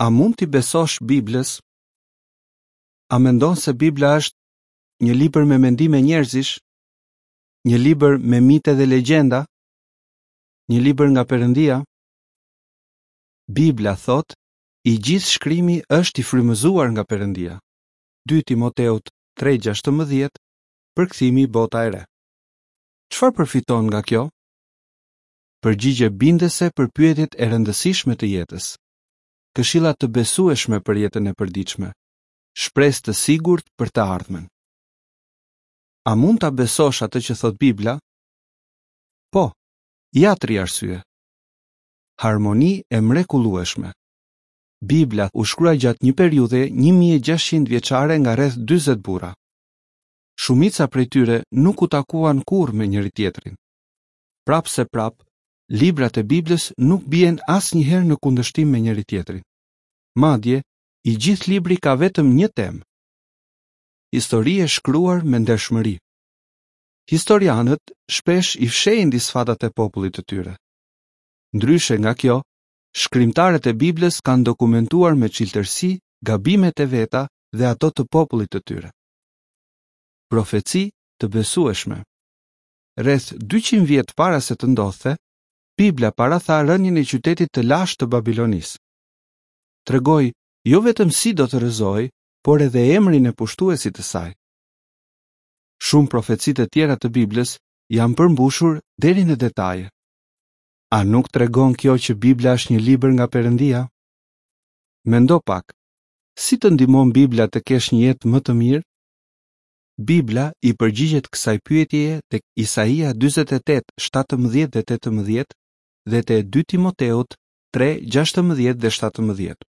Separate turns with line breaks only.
A mund t'i besosh Biblës? A mendon se Bibla është një libër me mendime njerëzish? Një libër me mite dhe legjenda? Një libër nga Perëndia? Bibla thotë, i gjithë shkrimi është i frymëzuar nga Perëndia. 2 Timoteut 3:16, përkthimi Bota e Re. Çfarë përfiton nga kjo? Përgjigje bindëse për pyetjet e rëndësishme të jetës. Këshilla të besueshme për jetën e përditshme. Shpresë të sigurt për të ardhmen. A mund ta besosh atë që thotë Bibla? Po. Ja tri arsye. Harmoni e mrekullueshme. Bibla u shkrua gjatë një periudhe 1600 vjeçare nga rreth 40 burra. Shumica prej tyre nuk u takuan kurrë me njëri-tjetrin. Prapëseprapë, librat e Biblës nuk bien asnjëherë në kundërshtim me njëri-tjetrin. Madje, i gjithë libri ka vetëm një temë. Histori e shkruar me ndershmëri. Historianët shpesh i fshehin disfatat e popullit të tyre. Ndryshe nga kjo, shkrimtarët e Biblës kanë dokumentuar me çiltërsi gabimet e veta dhe ato të popullit të tyre. Profeci të besueshme. Rreth 200 vjet para se të ndodhte, Bibla paratha rënien e qytetit të lashtë të Babilonisë. Tregoi jo vetëm si do të rrëzohej, por edhe emrin e pushtuesit të saj. Shumë profeci të tjera të Biblës janë përmbushur deri në detaje. A nuk tregon kjo që Bibla është një libër nga Perëndia? Mendo pak, si të ndihmon Bibla të kesh një jetë më të mirë? Bibla i përgjigjet kësaj pyetjeje tek Isaia 48, 17 dhe 18 dhe te 2 Timoteut 3, 16 dhe 17.